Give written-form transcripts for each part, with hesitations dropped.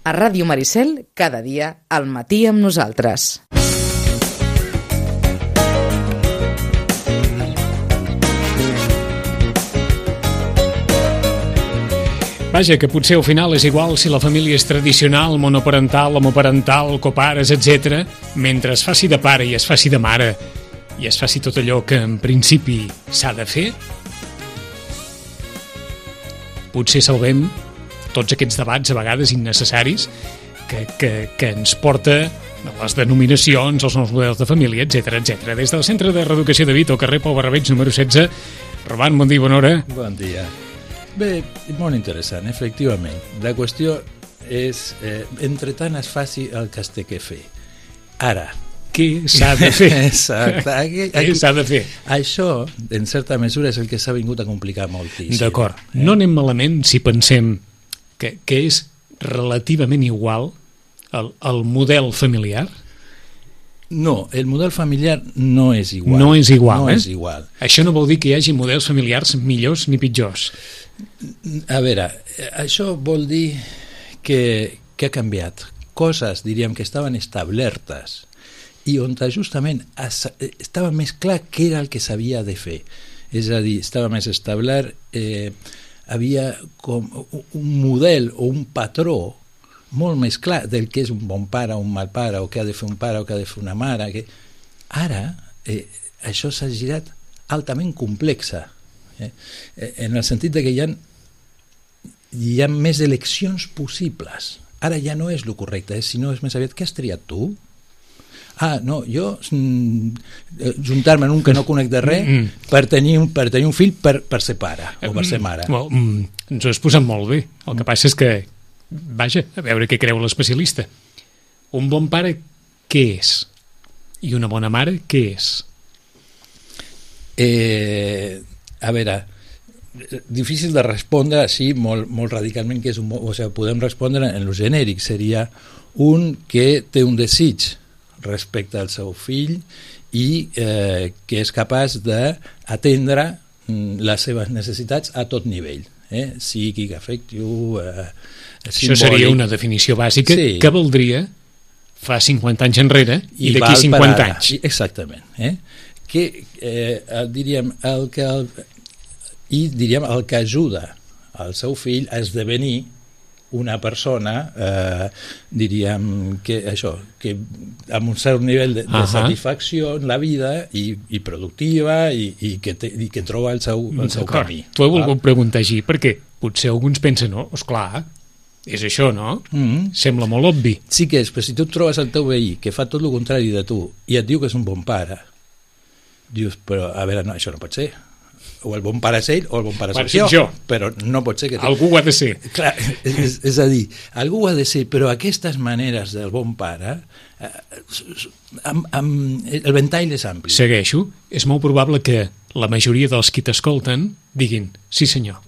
A Ràdio Maricel, cada dia, al matí amb nosaltres. Vaja, que potser al final és igual si la família és tradicional, monoparental, homoparental, copares, etc. Mentre es faci de pare i es faci de mare i es faci tot allò que en principi s'ha de fer, potser salvem tots aquests debats a vegades innecessaris que ens porta a les denominacions, els nous models de família, etc etc. Des del Centre de Reeducació de Vito, carrer Pau Barrabeig, número 16. Roman, bon dia, bona hora. Bon dia. Bé, molt interessant, efectivament. La qüestió és, entre tant es faci el que es té que fer. Ara. Què s'ha de fer? Exacte. Què s'ha de fer? Això, en certa mesura, és el que s'ha vingut a complicar moltíssim. D'acord. No anem malament si pensem que és relativament igual el model familiar? No, el model familiar no és igual. No és igual, no és igual. Això no vol dir que hi hagi models familiars millors ni pitjors. A veure, això vol dir que ha canviat. Coses, diríem, que estaven establertes i on justament estava més clar què era el que s'havia de fer. És a dir, estava més establert, havia com un model o un patró molt més clar del que és un bon pare o un mal pare, o què ha de fer un pare o què ha de fer una mare. Ara, això s'ha girat altament complexa, en el sentit de que hi ha més eleccions possibles. Ara ja no és el correcte, sinó és més aviat, què has triat tu? No, jo juntar-me en un que no conec de res per tenir un fill per ser pare o per ser mare. Ens ho has posat molt bé. El que passa és que, vaja, a veure què creu l'especialista. Un bon pare, què és? I una bona mare, què és? A veure, difícil de respondre així molt radicalment, que és podem respondre en lo genèric. Seria un que té un desig respecte al seu fill i que és capaç d'atendre les seves necessitats a tot nivell, psíquic, afectiu, això seria una definició bàsica, sí, que valdria fa 50 anys enrere i d'aquí 50 anys. Exactament. Diríem, el que ajuda al seu fill a esdevenir una persona, diríem, que amb un cert nivell de satisfacció en la vida i productiva i que troba el seu camí. T'ho he volgut preguntar així perquè potser alguns pensen, no, esclar, és això, no? Sembla molt obvi. Sí que és, però si tu et trobes el teu veí que fa tot el contrari de tu i et diu que és un bon pare, dius, però a veure, no, això no pot ser. O el bon pare és ell o el bon pare és jo, però no pot ser que... Algú ho ha de ser. Clar, és a dir, algú ho ha de ser, però aquestes maneres del bon pare, el ventall és ampli. Segueixo. És molt probable que la majoria dels qui t'escolten diguin, sí senyor,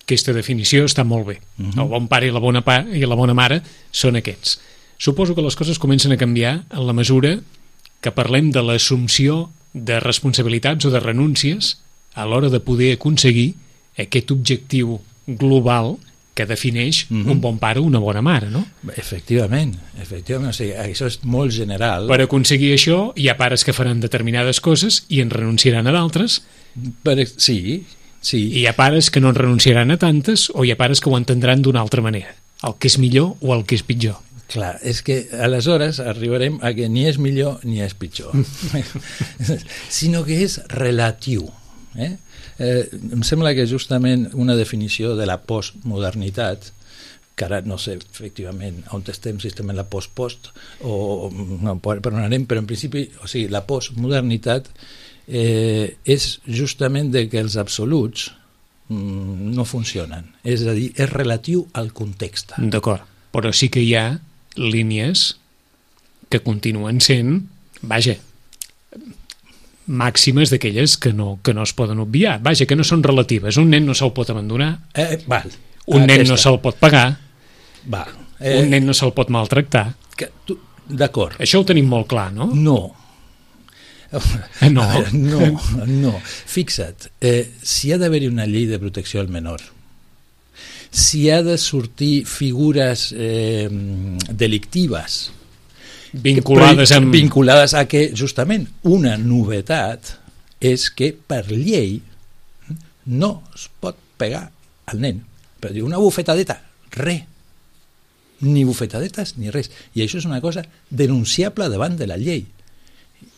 aquesta definició està molt bé. El bon pare i la bona mare són aquests. Suposo que les coses comencen a canviar en la mesura que parlem de l'assumpció de responsabilitats o de renúncies a l'hora de poder aconseguir aquest objectiu global que defineix un bon pare o una bona mare, no? Efectivament. O sigui, això és molt general. Per aconseguir això hi ha pares que faran determinades coses i en renunciaran a d'altres. Sí. I hi ha pares que no en renunciaran a tantes o hi ha pares que ho entendran d'una altra manera. El que és millor o el que és pitjor. Clar, és que aleshores arribarem a que ni és millor ni és pitjor, sinó que és relatiu. Em sembla que justament una definició de la postmodernitat, que ara no sé efectivament on estem, si estem en la post-post o no, per on anem, però en principi, o sigui, la postmodernitat és justament de que els absoluts no funcionen, és a dir, és relatiu al context. D'acord, però sí que hi ha línies que continuen sent, vaja, màximes d'aquelles que no es poden obviar. Vaja, que no són relatives. Un nen no se'l pot abandonar, un nen no se'l pot pagar, un nen no se'l pot maltractar. D'acord. Això ho tenim molt clar, no? No. No. Fixa't, si ha d'haver-hi una llei de protecció al menor, si ha de sortir figures delictives vinculades a que justament una novetat és que per llei no es pot pegar al nen. Per dir, una bufetadeta, res. Ni bufetadetes ni res. I això és una cosa denunciable davant de la llei.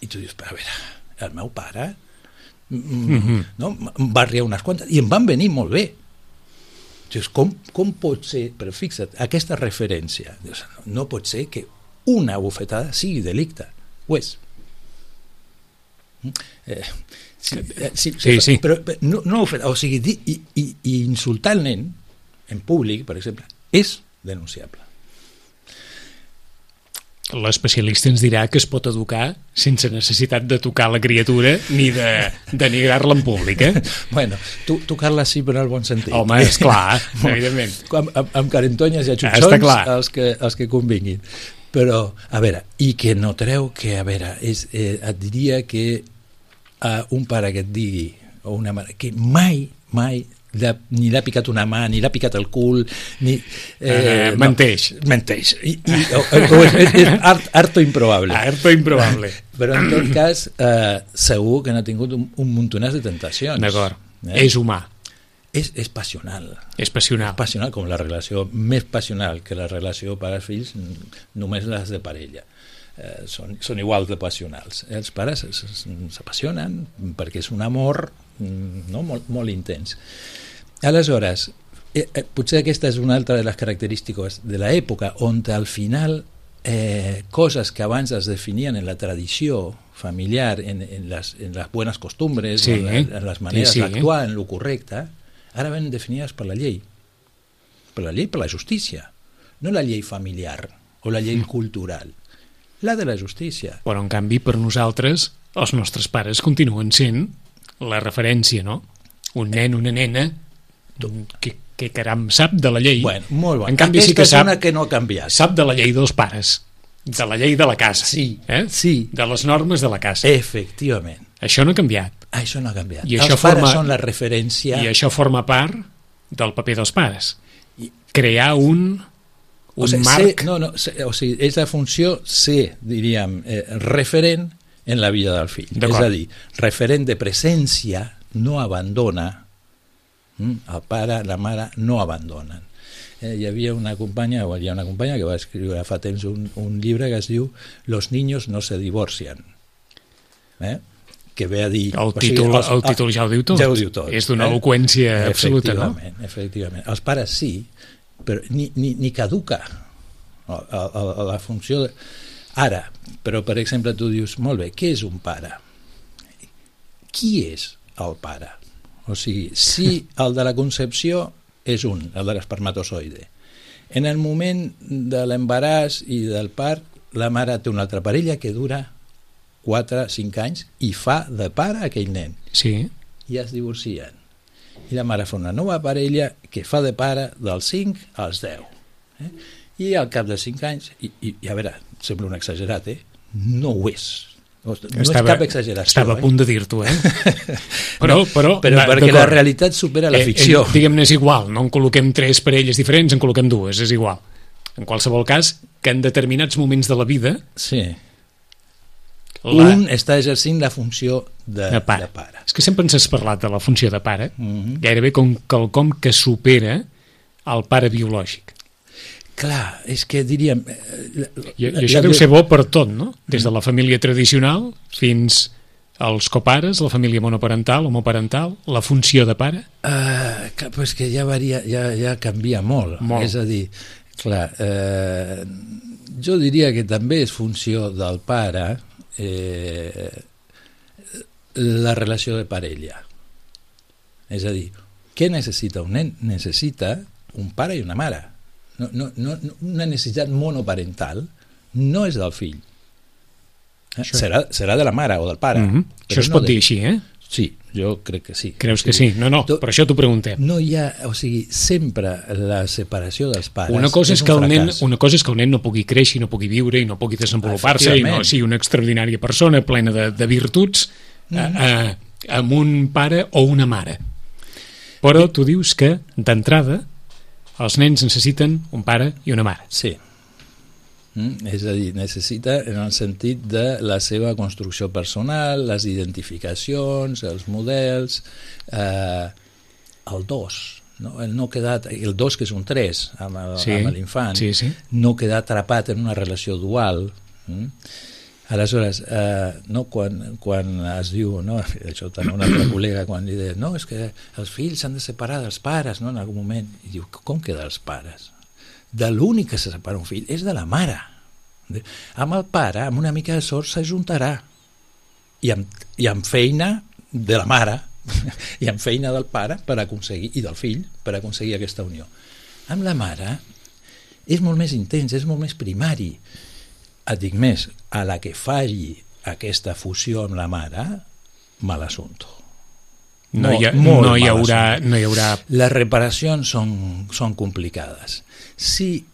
I tu dius, però a veure, el meu pare no, em va riar unes quantes i em van venir molt bé. Dius, com pot ser? Però fixa't, aquesta referència, dius, no pot ser que una bufetada sigui delicte. Ho és. Sí. Però no o sigui, i insultar el nen en públic, per exemple, és denunciable. L'especialista ens dirà que es pot educar sense necessitat de tocar la criatura ni de denigrar-la en públic, eh? Bueno, tocar-la sí, però en el bon sentit. Home, esclar, evidentment. Amb carentonyes i atxutxons, els que convinguin. Però, a veure, i que no treu que, a veure, et diria que un pare que et digui, o una mare, que mai ni l'ha picat una mà, ni l'ha picat el cul, ni... menteix. Menteix. És harto improbable. Harto improbable. Però en tot cas, segur que n'ha tingut un muntonàs de tentacions. D'acord. És humà. És passional. És passional. És passional, com la relació més passional que la relació pares-fills, només les de parella. Són igual de passionals. Els pares s'apassionen perquè és un amor molt intens. Aleshores, potser aquesta és una altra de les característiques de l'època, on al final coses que abans es definien en la tradició familiar, en les buenas costumbres, en les maneres d'actuar, en lo correcte, ara ven definides per la llei. Per la llei, per la justícia. No la llei familiar o la llei cultural. La de la justícia. Però, en canvi, per nosaltres, els nostres pares continuen sent la referència, no? Un nen, una nena, que caram sap de la llei. Bueno, molt bon. En canvi, aquesta sí que és una que no ha canviat. Sap de la llei dels pares, de la llei de la casa. Sí, sí. De les normes de la casa. Efectivament. Això no ha canviat. Això no ha canviat. I els pares són la referència... I això forma part del paper dels pares. Crear un marc... o sigui, és la funció ser, diríem, referent en la vida del fill. És a dir, referent de presència, no abandona, el pare, la mare no abandonen. Hi havia una companya, o hi ha una companya que va escriure fa temps un llibre que es diu Los niños no se divorcian. Que ve a dir... El títol ja ho diu tot. Ja ho diu tot. És d'una eloqüència absoluta, no? Efectivament. Els pares sí, però ni caduca la funció de... Ara, però per exemple tu dius, molt bé, què és un pare? Qui és el pare? O sigui, si el de la concepció és el de l'espermatozoide, en el moment de l'embaràs i del part, la mare té una altra parella que dura 4-5 anys i fa de pare aquell nen. Sí. I es divorcien. I la mare fa una nova parella que fa de pare dels 5 als 10. I al cap de 5 anys, i a veure, sembla un exagerat, no ho és. No és cap exageració. Estava a punt de dir-t'ho, Però perquè la realitat supera la ficció. Diguem-ne, és igual, no en col·loquem 3 parelles diferents, en col·loquem 2, és igual. En qualsevol cas, que en determinats moments de la vida... Sí. Un està exercint la funció de pare. És que sempre ens has parlat de la funció de pare, gairebé com quelcom que supera el pare biològic. Clar, és que diríem... I això deu ser bo per tot, no? Des de la família tradicional fins als copares, la família monoparental, homoparental, la funció de pare? Però és que ja varia, ja canvia molt. És a dir, clar, jo diria que també és funció del pare la relació de parella. És a dir, què necessita un nen? Necessita un pare i una mare. Una necessitat monoparental no és del fill. Serà de la mare o del pare. Això es pot dir així, Sí, jo crec que sí. Creus que sí? No, per això t'ho preguntem. No hi ha, o sigui, sempre la separació dels pares una cosa és que el nen no pugui créixer, no pugui viure i no pugui desenvolupar-se i no sigui una extraordinària persona plena de virtuts amb un pare o una mare. Però tu dius que, d'entrada, els nens necessiten un pare i una mare. Sí. És a dir, necessita en el sentit de la seva construcció personal, les identificacions, els models, el dos, no? El no quedar, el dos que és un 3 amb l'infant, no quedar atrapat en una relació dual. Aleshores, no, quan es diu, no, això també una altra col·lega quan li deia, no, és que els fills s'han de separar dels pares, no, en algun moment, i diu, com queda els pares? De l'únic que se separa un fill és de la mare. Amb el pare, amb una mica de sort, s'ajuntarà. I amb feina de la mare, i amb feina del pare per aconseguir, i del fill, per aconseguir aquesta unió. Amb la mare és molt més intens, és molt més primari. Et dic més, a la que falli aquesta fusió amb la mare, mal assumpto. No hi haurà... Les reparacions són complicades. Si,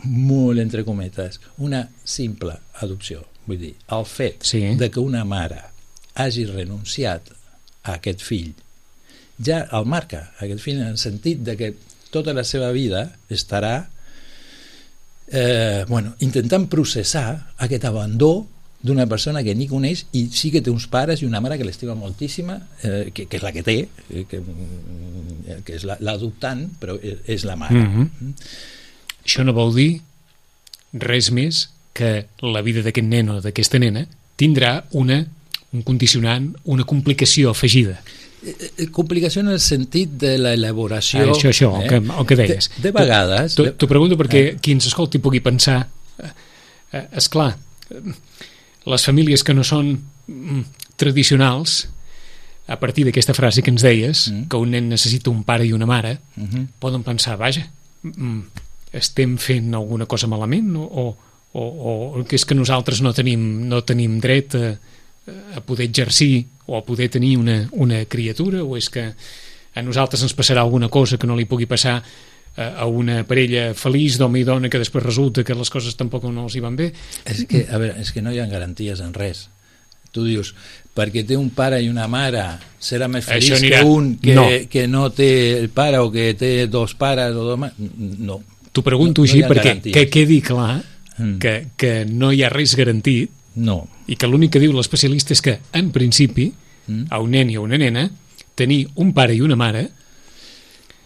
molt entre cometes, una simple adopció, vull dir, el fet de que una mare hagi renunciat a aquest fill, ja el marca, aquest fill, en el sentit de que tota la seva vida estarà intentant processar aquest abandó d'una persona que ni coneix i sí que té uns pares i una mare que l'estima moltíssima, que és la que té, que és l'adoptant, però és la mare. Això no vol dir res més que la vida d'aquest nen o d'aquesta nena tindrà un condicionant, una complicació afegida. Complicació en el sentit de l'elaboració... Això, el que deies. De vegades... T'ho pregunto perquè qui ens escolti pugui pensar, esclar, les famílies que no són tradicionals, a partir d'aquesta frase que ens deies, que un nen necessita un pare i una mare, poden pensar, vaja, estem fent alguna cosa malament o que és que nosaltres no tenim dret a poder exercir o a poder tenir una criatura, o és que a nosaltres ens passarà alguna cosa que no li pugui passar a una parella feliç d'home i dona que després resulta que les coses tampoc no els hi van bé. És que no hi ha garanties en res. Tu dius, perquè té un pare i una mare serà més feliç que un que no té el pare o que té dos pares o dos mares. No. T'ho pregunto així perquè que quedi clar que no hi ha res garantit, i que l'únic que diu l'especialista és que en principi a un nen i a una nena tenir un pare i una mare,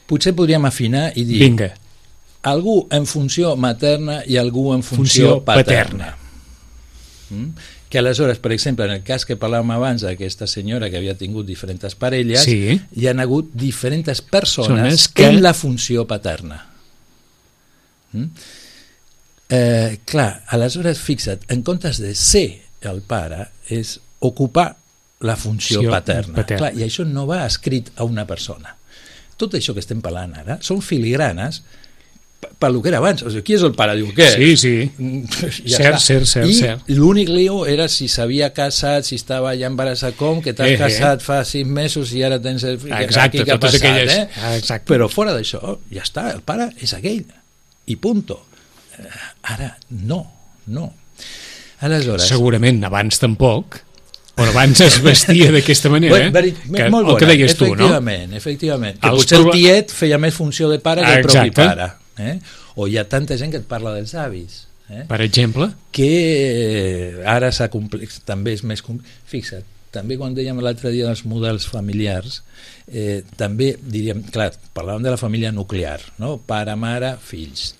potser podríem afinar i dir algú en funció materna i algú en funció paterna. Que aleshores, per exemple, en el cas que parlàvem abans d'aquesta senyora que havia tingut diferents parelles, hi han hagut diferents persones en la funció paterna. Clar, aleshores, fixa't, en comptes de ser el pare, és ocupar la funció paterna. Clar, i això no va escrit a una persona. Tot això que estem parlant ara són filigranes per lo que era abans. O sigui, qui és el pare? Diu, què? Sí. Cert. I l'únic lío era si s'havia casat, si estava ja embarassat, que t'has casat fa 6 mesos i ara tens el fill. Exacte, totes aquelles. Exacte. Però fora d'això, ja està, el pare és aquell. I punto. Ara, no. Aleshores... Segurament abans tampoc, però abans es vestia d'aquesta manera, molt bona, el que deies tu, no? Efectivament. Que potser el tiet feia més funció de pare que el propi pare. O hi ha tanta gent que et parla dels avis. Per exemple? Que ara s'ha complex, també és més complex. Fixa't, també quan dèiem l'altre dia dels models familiars, també diríem, clar, parlàvem de la família nuclear, no? Pare, mare, fills.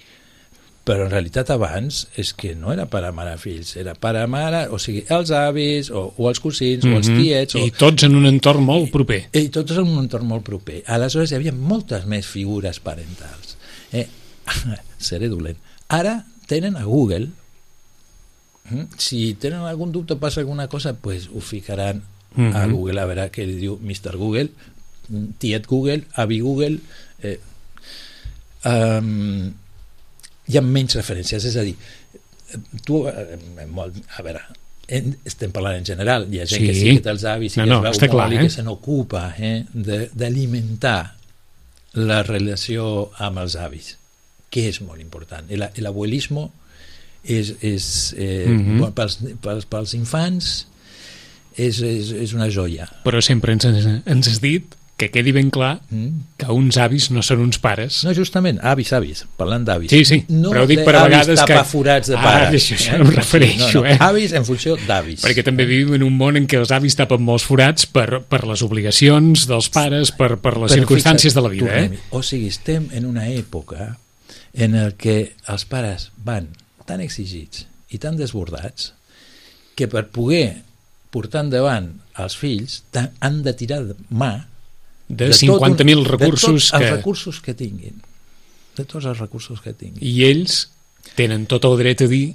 Però en realitat abans és que no era pare, mare, fills, era pare, mare, o sigui, els avis, o els cosins, o els tiets... I tots en un entorn molt proper. I tots en un entorn molt proper. Aleshores hi havia moltes més figures parentals. Seré dolent. Ara tenen a Google. Si tenen algun dubte o passa alguna cosa, pues ho ficaran a Google, a veure què li diu Mr. Google, tiet Google, avi Google... hi ha menys referències, és a dir, tu, a veure, estem parlant en general, hi ha gent que sí que té els avis i que es veu molt i que se n'ocupa d'alimentar la relació amb els avis, que és molt important. L'abuelismo pels infants és una joia. Però sempre ens has dit que quedi ben clar que uns avis no són uns pares. No, justament, avis, parlant d'avis. Sí, no però dic per a vegades que... tapaforats de pares. Això em refereixo, Avis en funció d'avis. Perquè també vivim en un món en què els avis tapen molts forats per les obligacions dels pares, per les circumstàncies de la vida. O sigui, estem en una època en el que els pares van tan exigits i tan desbordats que per poder portar endavant els fills han de tirar mà de 50.000 recursos de tots els recursos que tinguin, de tots els recursos que tinguin, i ells tenen tot el dret a dir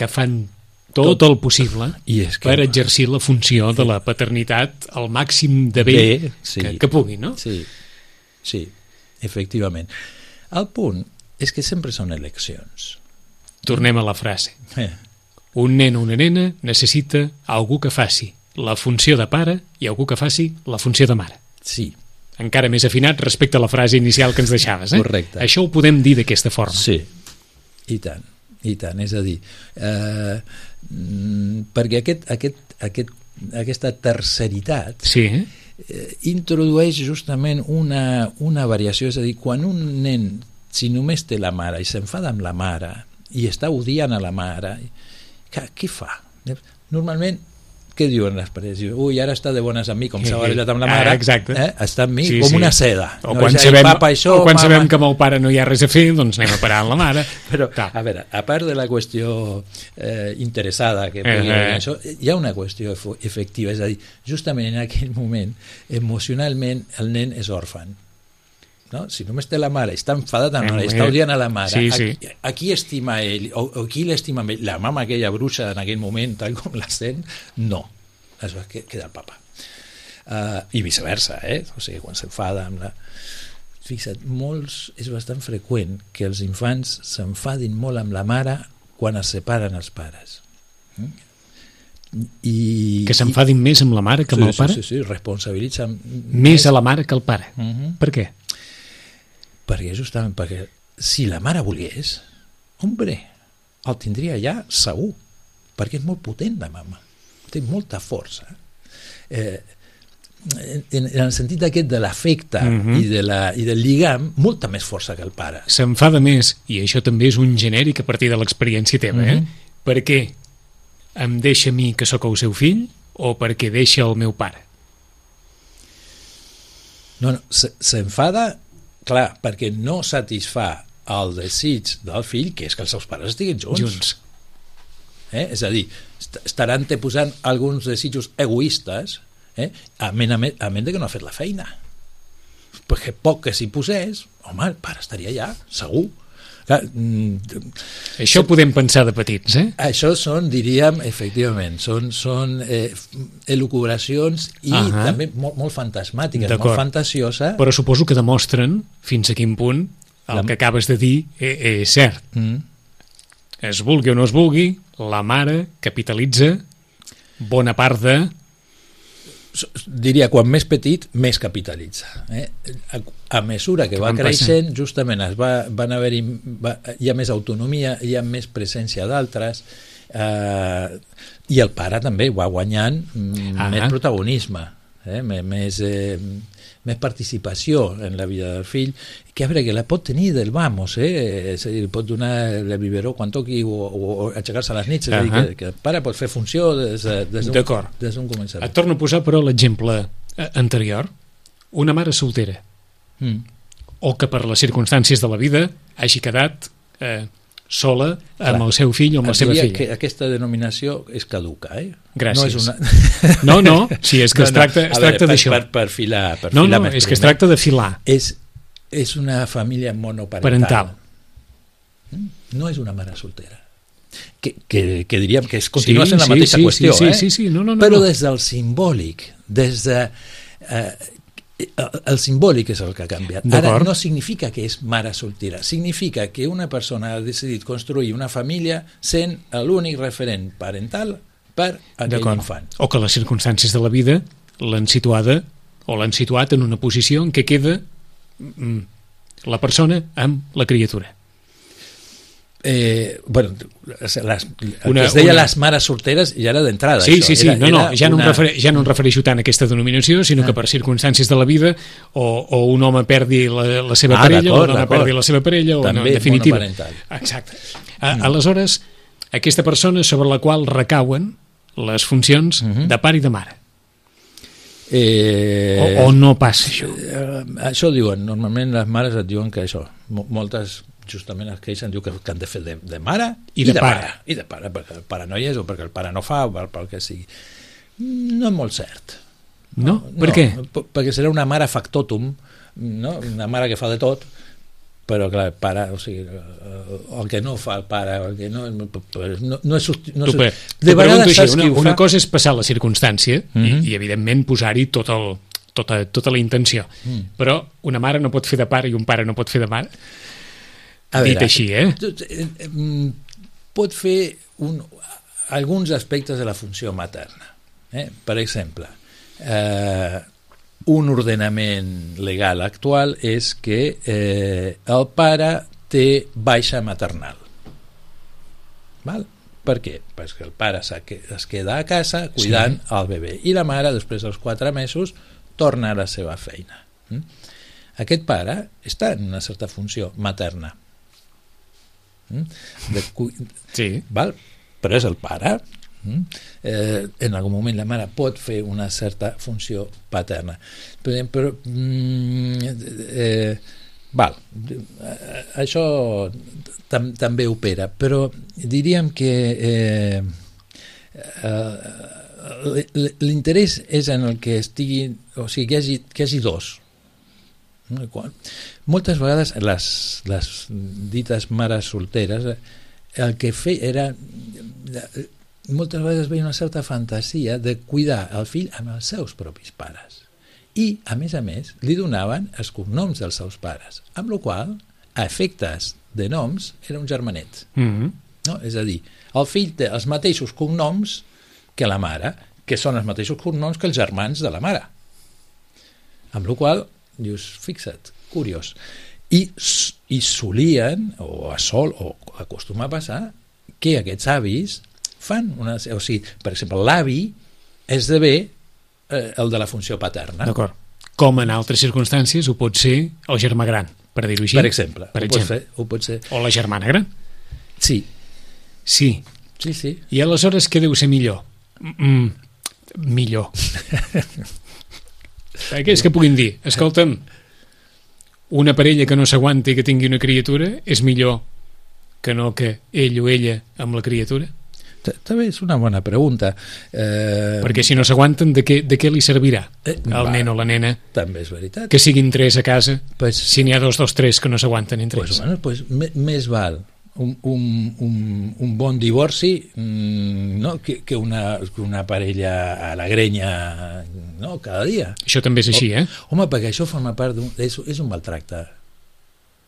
que fan tot el possible per exercir la funció de la paternitat al màxim de bé que puguin, no? Sí, efectivament. El punt és que sempre són eleccions. Tornem a la frase. Un nen o una nena necessita algú que faci la funció de pare i algú que faci la funció de mare. Sí. Encara més afinat respecte a la frase inicial que ens deixaves. Correcte. Això ho podem dir d'aquesta forma. Sí, i tant. És a dir, perquè aquesta terceritat introdueix justament una variació, és a dir, quan un nen, si només té la mare i s'enfada amb la mare i està odiant a la mare, què fa? Normalment, què diuen les pares? Ui, ara està de bones amb mi, com s'ha barallat amb la mare, està amb mi com una seda. O quan sabem que amb el pare no hi ha res a fer, doncs anem a parar amb la mare. Però, a veure, a part de la qüestió interessada que pugui haver això, hi ha una qüestió efectiva, és a dir, justament en aquell moment, emocionalment, el nen és òrfan. No? Si només té la mare, està enfadat amb la mare, està odiant a la mare, a qui estima ell o qui l'estima ell? La mama aquella bruixa en aquell moment, tal com la sent, no, es va quedar el papa, i viceversa, o sigui, quan s'enfada amb la... Fixa't, és bastant freqüent que els infants s'enfadin molt amb la mare quan es separen els pares. Que s'enfadin més amb la mare que amb el pare? Sí, responsabilitzen més a la mare que al pare. Per què? Perquè si la mare volgués, hombre, el tindria ja segur, perquè és molt potent la mama, té molta força. En el sentit aquest de l'afecte i del lligam, molta més força que el pare. S'enfada més, i això també és un genèric a partir de l'experiència teva, per què em deixa a mi que sóc el seu fill o perquè deixa el meu pare? No, s'enfada, clar, perquè no satisfà el desig del fill, que és que els seus pares estiguin junts. És a dir, estaran posant alguns desitjos egoistes, a menys que no ha fet la feina. Perquè poc que s'hi posés, home, el pare estaria allà, segur. Clar, això podem pensar de petits, Això són, diríem, efectivament, són elucubracions i també molt fantasmàtiques, molt fantasioses. Però suposo que demostren fins a quin punt el que acabes de dir és cert. Es vulgui o no es vulgui, la mare capitalitza bona part de... Diria, quan més petit, més capitalitza. A mesura que va creixent, justament van haver-hi, hi ha més autonomia, hi ha més presència d'altres, i el pare també va guanyant més protagonisme, més participació en la vida del fill, que a veure, que la pot tenir del vamos, és a dir, pot donar el biberó quan toqui o aixecar-se a les nits, és a dir, que el pare pot fer funció des d'un començament. Et torno a posar, però, l'exemple anterior. Una mare soltera, o que per les circumstàncies de la vida hagi quedat sola amb el seu fill o amb la seva filla. Que aquesta denominació és caduca, Gràcies. No, si és que es tracta d'això. Per filar és que es tracta de filar. És una família monoparental. No és una mare soltera. Que diríem que continua sent la mateixa qüestió, però des del simbòlic, des de... el simbòlic és el que ha canviat. Ara no significa que és mare soltera, significa que una persona ha decidit construir una família sent l'únic referent parental per aquell infant. O que les circumstàncies de la vida l'han situat en una posició en què queda la persona amb la criatura. Bueno, el que es deia les mares solteres ja era d'entrada. Sí, això. sí, ja no em refereixo tant a aquesta denominació, sinó que Ah. per circumstàncies de la vida o un home perdi la seva parella, o d'acord, una dona perdi la seva parella, o També no, en definitiva. monoparental. Exacte. Aleshores, aquesta persona sobre la qual recauen les funcions de pare i de mare. O no passa això? Això diuen, normalment les mares et diuen que això, moltes justament es queixen, diu que han de fer de mare I de pare. I de pare, perquè el pare no hi és o perquè el pare no fa o pel que sigui. No és molt cert. No? Per què? Perquè serà una mare factotum, no? Una mare que fa de tot, però clar, el pare, o sigui, el que no fa el pare, el que no és de vegades saps qui ho fa. Una cosa és passar la circumstància i evidentment posar-hi tota la intenció, però una mare no pot fer de pare i un pare no pot fer de mare. Dit així, pot fer alguns aspectes de la funció materna. Per exemple, un ordenament legal actual és que el pare té baixa maternal. Val? Per què? Perquè el pare es queda a casa cuidant el bebè i la mare, després dels 4 mesos, torna a la seva feina. Aquest pare està en una certa funció materna. Sí. Val? Però és el pare. En algun moment la mare pot fer una certa funció paterna, però val, això també opera, però diríem que l'interès és en el que estigui, o sigui, que hi hagi dos. Moltes vegades les dites mares solteres el que feia era moltes vegades veia una certa fantasia de cuidar el fill amb els seus propis pares i a més, li donaven els cognoms dels seus pares, amb la qual a efectes de noms era un germanet. No? És a dir, el fill té els mateixos cognoms que la mare, que són els mateixos cognoms que els germans de la mare, amb la qual dius, fixa't, curiós. I solien, o acostuma a passar, que aquests avis fan o sigui, per exemple, l'avi esdevé el de la funció paterna. D'acord. Com en altres circumstàncies ho pot ser el germà gran, per dir-ho així. Per exemple. Ho pot ser. O la germana gran. Sí. Sí. I aleshores què deu ser millor? Millor. Perquè és que puguin dir, escolta'm, una parella que no s'aguanti i que tingui una criatura és millor que no que ell o ella amb la criatura? També és una bona pregunta. Perquè si no s'aguanten, de què li servirà al nen o la nena? També és veritat. Que siguin 3 a casa, si n'hi ha 2 dels 3 que no s'aguanten entre ells. Més val un bon divorci que una parella a la grenya cada dia. Això també és així, Home, perquè això forma part és un maltracte.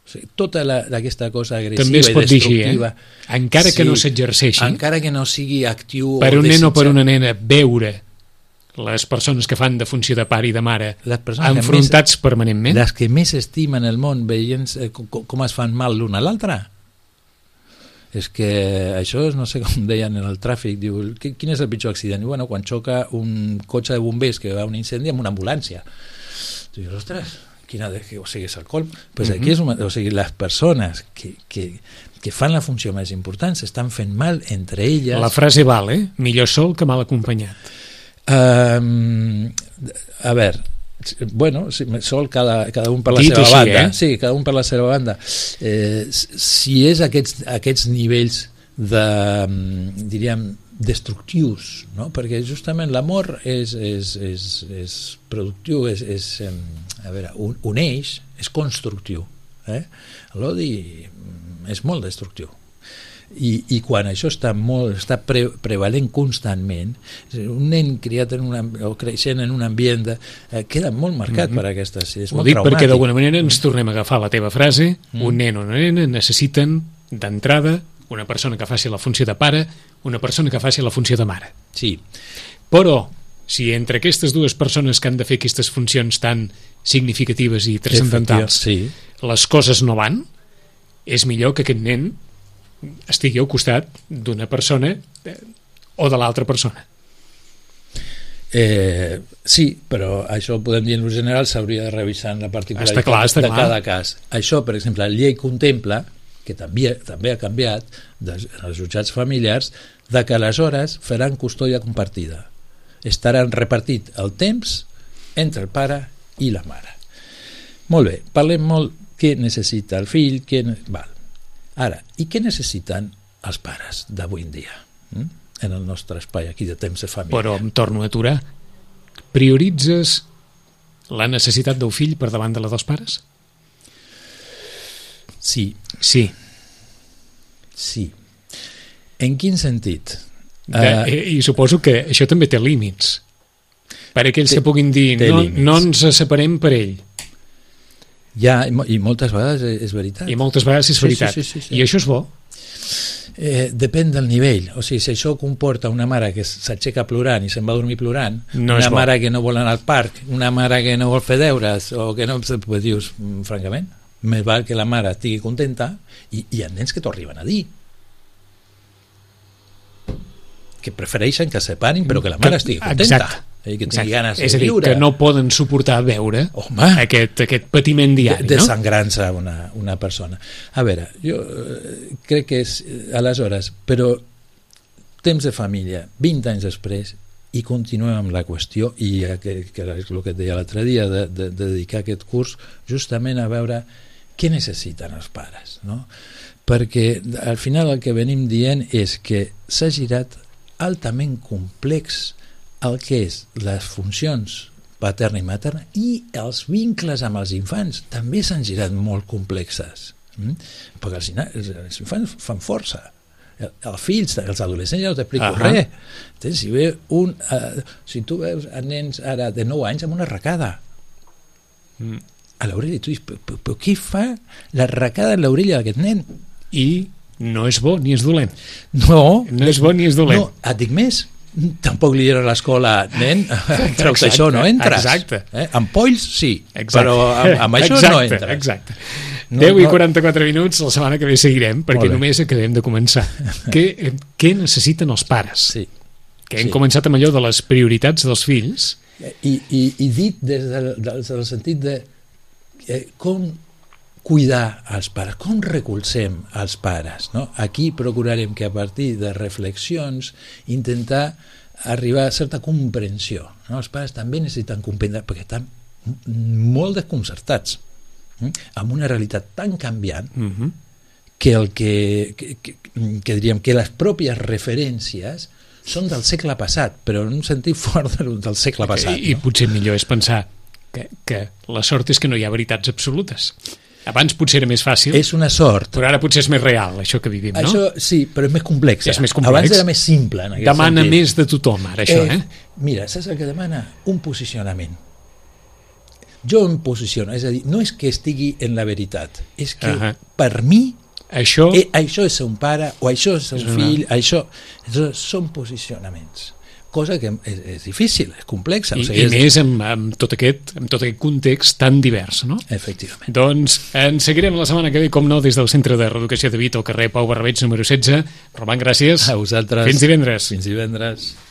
O sigui, tota aquesta cosa agressiva i destructiva, encara que no s'exerceixi, encara que no sigui actiu per un nen o per una nena, veure les persones que fan de funció de pare i de mare enfrontats permanentment, les que més estimen el món veient com es fan mal l'una a l'altra, és que això no sé com deien en el tràfic, diu, quin és el pitjor accident? Diu, bueno, quan xoca un cotxe de bombers que va a un incendi amb una ambulància. Dius, ostres, o sigui, és el colm. Pues aquí o sigui, les persones que fan la funció més important s'estan fent mal entre elles. La frase val, millor sol que mal acompanyat. A veure, bueno, sol cada un per la seva banda. Sí, cada un per la seva banda. Si és aquests nivells de, diríem, destructius, no? Perquè justament l'amor és productiu, uneix, és constructiu. L'odi és molt destructiu. I quan això està prevalent constantment, un nen criat o creixent en un ambient queda molt marcat per aquestes, és molt traumàtic. Ho dic perquè d'alguna manera ens tornem a agafar la teva frase, un nen o una nena necessiten d'entrada una persona que faci la funció de pare, una persona que faci la funció de mare. Sí. Però si entre aquestes dues persones que han de fer aquestes funcions tan significatives i transcendentals les coses no van, és millor que aquest nen estigui al costat d'una persona o de l'altra persona. Sí, però això ho podem dir en general, s'hauria de revisar en la particularitat Està clar. cada cas. Això, per exemple, la llei contempla, que també ha canviat, dels jutjats familiars, de que aleshores faran custòdia compartida. Estaran repartit el temps entre el pare i la mare. Molt bé, parlem molt què necessita el fill, Val. Ara, i què necessiten els pares d'avui en dia? En el nostre espai aquí de temps de família. Però em torno a aturar. Prioritzes la necessitat del fill per davant de la dels pares? Sí. Sí. En quin sentit? I suposo que això també té límits. Per aquells que puguin dir no ens separem per ell. Ja, i moltes vegades és veritat. I moltes vegades és veritat. Sí. I això és bo? Depèn del nivell. O sigui, si això comporta una mare que s'aixeca plorant i se'n va a dormir plorant, una mare que no vol anar al parc, una mare que no vol fer deures, o que no... Pues dius, francament, més val que la mare estigui contenta, i hi ha nens que t'ho arriben a dir, que prefereixen que se separin però que la mare estigui contenta. Exacte. Que tingui ganes de és a dir, viure. que no poden suportar veure aquest patiment diari, de sangrança una persona. A veure, jo crec que és aleshores, però temps de família, 20 anys després, i continuem amb la qüestió, i que és el que et deia l'altre dia, de dedicar aquest curs justament a veure què necessiten els pares, no? Perquè al final el que venim dient és que s'ha girat altament complex el que és les funcions paterna i materna, i els vincles amb els infants també s'han girat molt complexes, perquè els infants fan força, els fills, els adolescents ja no t'explico res. Si tu veus a nens ara de 9 anys amb una arracada a l'orella, tu dius, però què fa l'arracada en l'orella d'aquest nen? I no és bo ni és dolent. No és bo ni és dolent. No, et dic més, tampoc li diuen a l'escola, nen, treus això, no entres. Exacte. Amb polls, sí, però amb això no entres. Exacte. 10 i 44 minuts, la setmana que ve seguirem, perquè només acabem de començar. Què necessiten els pares? Sí. Que hem començat amb allò de les prioritats dels fills. I dit des del sentit de com cuidar els pares, com recolzem els pares, no? Aquí procurarem que a partir de reflexions intentar arribar a certa comprensió, no? Els pares també necessiten comprendre perquè estan molt desconcertats amb una realitat tan canviant que diríem que les pròpies referències són del segle passat, però en un sentit fort del segle passat. I potser millor és pensar que la sort és que no hi ha veritats absolutes. Abans potser era més fàcil. És una sort. Però ara potser és més real, això que vivim, no? Això sí, però és més complex. És més complex. Abans era més simple, en aquest demana sentit. més de tothom, ara, això, Mira, saps el que demana? Un posicionament. Jo em posiciono, és a dir, no és que estigui en la veritat, és que per mi això és ser un pare, o això és ser un fill, això són posicionaments. Cosa que és difícil, és complexa. I més amb tot aquest context tan divers, no? Efectivament. Doncs ens seguirem la setmana que ve, com no, des del Centre de Reeducació de Vic, al carrer Pau Barberets, número 16. Roman, gràcies. A vosaltres. Fins divendres. Fins divendres.